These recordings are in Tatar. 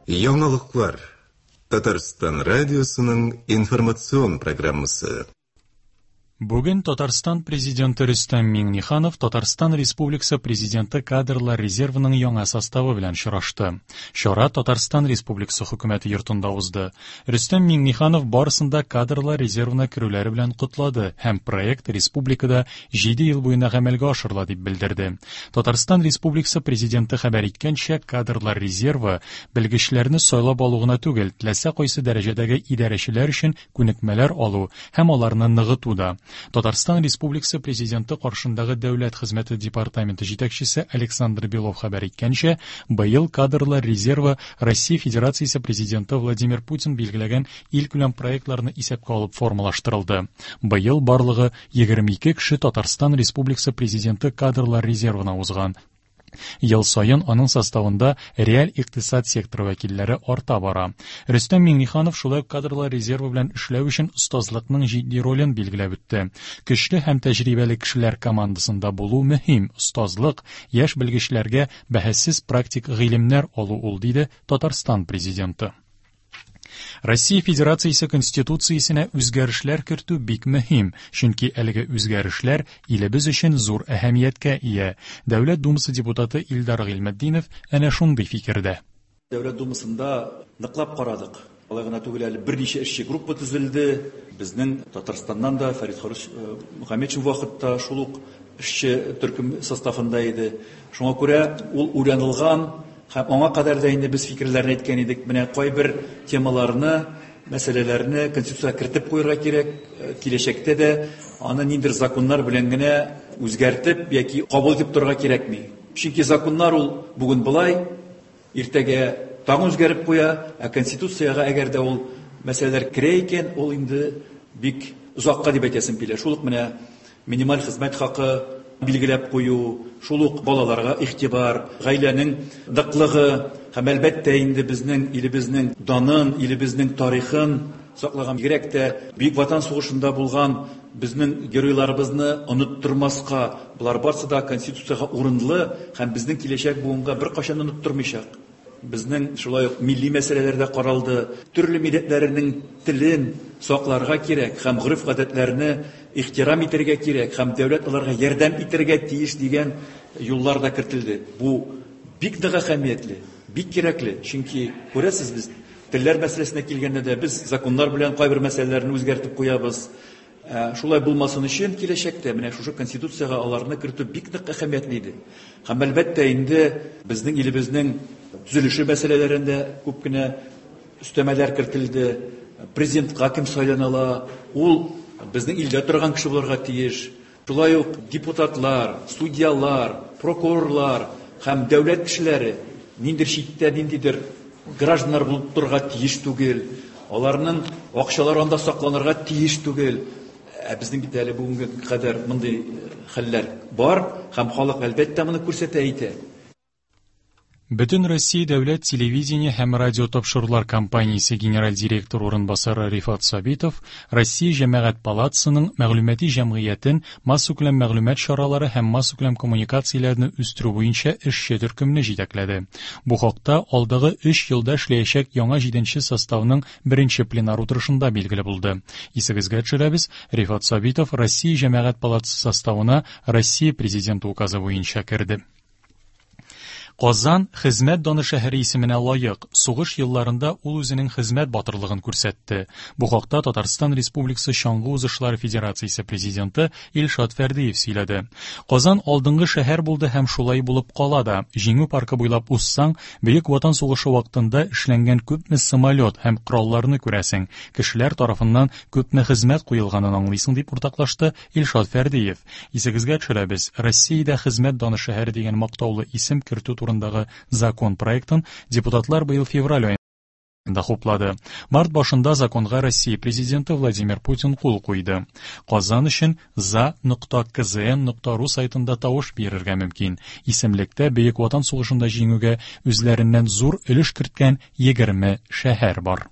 Яңалыклар. Татарстан радиосының информацион программасы. Бүген Татарстан Президенты Рөстәм Миңнеханов Татарстан Республикасы Президенты кадрлар резервының яңа составы белән очрашты. Чара Татарстан Республикасы Хөкүмәте йортында узды. Рөстәм Миңнеханов барысын да кадрлар резервына керүләре белән котлады һәм проект республикада 7 ел буена гамәлгә ашырыла дип белдерде. Татарстан Республикасы Президенты хәбәр иткәнчә, кадрлар резервы белгечләрне сайлап алу гына түгел, теләсә кайсы дәрәҗәдәге идарәчеләр өчен күнекмәләр алу һәм аларны ныгыту да. Татарстан Республикасы Президенты каршындагы Дәүләт хезмәте департаменты җитәкчесе Александр Белов хәбәр иткәнчә, быел кадрлар резервы Россия Федерациясе Президенты Владимир Путин билгеләгән илкүләм проектларны исәпкә алып формалаштырылды. Быел барлыгы 22 кеше Татарстан Республикасы Президенты кадрлар резервына узган. Ел саен аның составында реаль икътисад секторы вәкилләре арта бара. Рөстәм Миңнеханов шулай ук кадрлар резервы белән эшләү өчен остазлыкның җитди ролен билгеләп үтте. Көчле һәм тәҗрибәле кешеләр командасында булу мөһим. Остазлык, яшь белгечләргә бәһасез практик гыйлемнәр алу ул, диде Татарстан Президенты. Россия Федерациясе Конституциясенә үзгәрешләр кертү бик мөһим, чөнки әлеге үзгәрешләр илебез өчен зур әһәмияткә ия. Дәүләт Думасы депутаты Илдар Гыйльметдинов әнә шундый фикердә. Дәүләт Думасында ныклап карадык. Алай гына түгел, әле берничә эшче группа төзелде. Безнең Татарстаннан да Фәрит Харис э, Мөхәммәтшин вакытта шул ук эшче төркем составында иде. Шуңа күрә ул уйланылган Һәм аңа кадәр дә инде без фикерләрне әйткән идек, менә кайбер темаларны, мәсьәләләрне Конституциягә кертеп куярга кирәк, э, киләчәктә дә аны ниндидер законнар белән генә үзгәртеп яки кабул итеп торырга кирәкми. Чөнки законнар ул бүген болай, иртәгә тагын үзгәреп куя, ә Конституциягә әгәр дә ул мәсьәләләр керә икән, ул инде бик озакка дип әйтәсем килә. Шул ук менә Минималь хезмәт хакы билгеләп кую, шул ук балаларга игътибар, гаиләнең ныклыгы һәм, әлбәттә инде, безнең илебезнең данын, илебезнең тарихын саклаган, бигрәк тә Бөек Ватан сугышында булган безнең геройларыбызны оныттырмаска, болар барсы да Конституциягә урынлы һәм безнең киләчәк буынга беркайчан оныттырмыйчак. Безнең шулай ук милли мәсьәләләр дә каралды. Төрле милләтләренең телен сакларга кирәк һәм гореф-гадәтләрне ихтирам итәргә кирәк һәм дәүләт аларга ярдәм итәргә тиеш дигән юллар да кертелде. Бу бик нык әһәмиятле, бик кирәкле, чөнки, күрәсез, без телләр мәсьәләсенә килгәндә дә без законнар белән кайбер мәсьәләләрне үзгәртеп куябыз. Ә, шулай булмасын өчен киләчәктә менә шушы Конституциягә аларны кертү бик нык әһәмиятле иде. Һәм әлбәттә инде безнең илебезнең төзелеше мәсьәләләрендә күп кенә өстәмәләр кертелде. Президентка кем сайлана ала, ул безнең илдә торган кеше булырга тиеш. Шулай ук депутатлар, судьялар, прокурорлар һәм дәүләт кешеләре ниндидер читтә ниндидер гражданнар булып торырга тиеш түгел. Аларның акчалары анда сакланырга тиеш түгел. Ә безнең бит әле бүгенге кадәр мондый хәлләр бар һәм халык әлбәттә моны күрсәтә әйтә. Бөтен Россия дәүләт телевидение һәм радиотапшырулар компаниясе генераль директоры урынбасары Рифат Сабитов Россия Җәмәгать палатасының мәгълүмати җәмгыятен массакүләм мәгълүмат чаралары һәм массакүләм коммуникацияләрне үстерү буенча эшче төркемне җитәкләде. Бу хакта алдагы өч елда эшләячәк яңа җиденче составның беренче пленар утырышында билгеле булды. Исегезгә төшерәбез, Рифат Сабитов Россия Җәмәгать палатасы составына Россия Президенты указы буенча керде. Казан хезмәт даны шәһәре исеменә лаек. Сугыш елларында ул үзенең хезмәт батырлыгын күрсәтте. Бу хакта Татарстан Республикасы Чаңгы узышлары федерациясе президенты Илшат Фәрдиев сөйләде. Казан алдынгы шәһәр булды һәм шулай булып кала да. Җиңү паркы буйлап узсаң, Бөек Ватан сугышы вакытында эшләнгән күпме самолет һәм коралларны күрәсең, кешеләр тарафыннан күпме хезмәт куелганын аңлыйсың, дип уртаклашты Илшат Фәрдиев. Исегезгә төшерәбез, Россиядә хезмәт даны шәһәре дигән мактаулы исем кертү турындагы закон проектын депутатлар быел февраль аенда хуплады. Март башында законга Россия Президенты Владимир Путин кул куйды. Казан өчен за.кзн.ру сайтында тавыш бирергә мөмкин. Исемлектә Бөек Ватан сугышында җиңүгә үзләреннән зур өлеш керткән 20 шәһәр бар.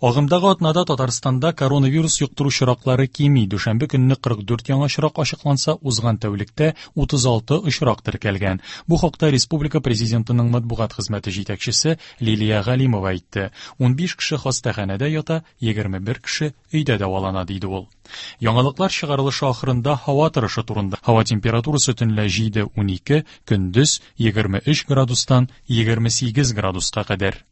Агымдагы атнада Татарстанда коронавирус йоктыру очраклары кими. Дүшәмбе көнне 44 яңа очрак ачыкланса, узган тәүлектә 36 очрак теркәлгән. Бу хакта республика президентының матбугат хезмәте җитәкчесе Лилия Галимова әйтте. 15 кеше хастаханәдә ята, 21 кеше өйдә дәвалана, диде ул. Яңалыклар чыгарылышы ахырында һава торышы турында. Һава температурасы төнлә 7-12, көндез 23 градустан 28 градуска кадәр.